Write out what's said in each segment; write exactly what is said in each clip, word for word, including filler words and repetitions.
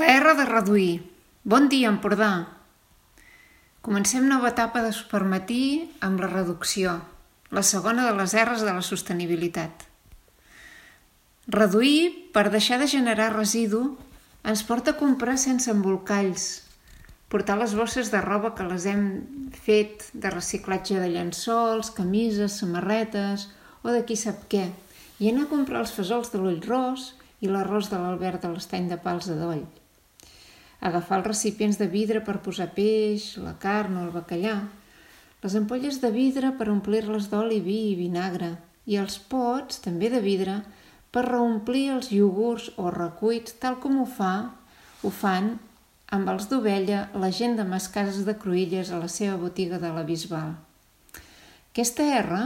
La R de reduir. Bon dia, Empordà. Comencem nova etapa de Supermatí amb la reducció, la segona de les R's de la sostenibilitat. Reduir, per deixar de generar residu, ens porta a comprar sense embolcalls, portar les bosses de roba que les hem fet de reciclatge de llençols, camises, samarretes o de qui sap què, i anar a comprar els fesols de l'ull ros i l'arròs de l'Albert de l'Estany de Pals de Doll. Agafar els recipients de vidre per posar peix, la carn o el bacallà, les ampolles de vidre per omplir-les d'oli, vi i vinagre, i els pots, també de vidre, per reomplir els iogurts o recuits, tal com ho fa, ho fan amb els d'ovella la gent de Mascases de Cruïlles a la seva botiga de la Bisbal. Aquesta R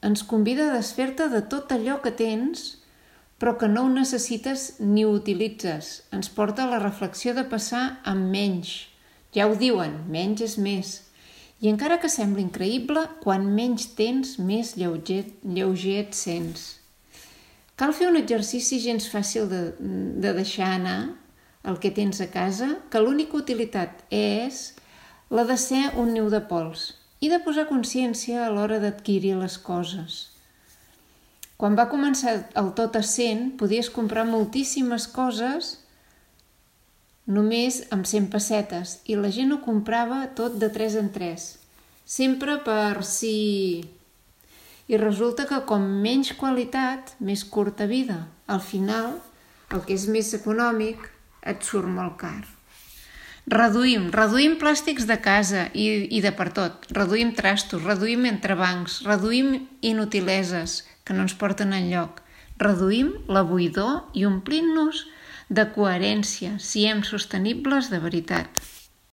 ens convida a desfer-te de tot allò que tens però que no ho necessites ni ho utilitzes. Ens porta a la reflexió de passar amb menys. Ja ho diuen, menys és més. I encara que sembli increïble, quan menys tens, més lleuger, lleuger et sents. Cal fer un exercici gens fàcil de, de deixar anar el que tens a casa, que l'única utilitat és la de ser un niu de pols i de posar consciència a l'hora d'adquirir les coses. Quan va començar el tot a cent, podies comprar moltíssimes coses només amb cent pessetes i la gent ho comprava tot de tres en tres, sempre per si... I resulta que com menys qualitat, més curta vida. Al final, el que és més econòmic et surt molt car. Reduïm, reduïm plàstics de casa i, i de per tot. Reduïm trastos, reduïm entrebancs, reduïm inutileses que no ens porten enlloc. Reduïm la buidor i omplint-nos de coherència, siguem sostenibles de veritat.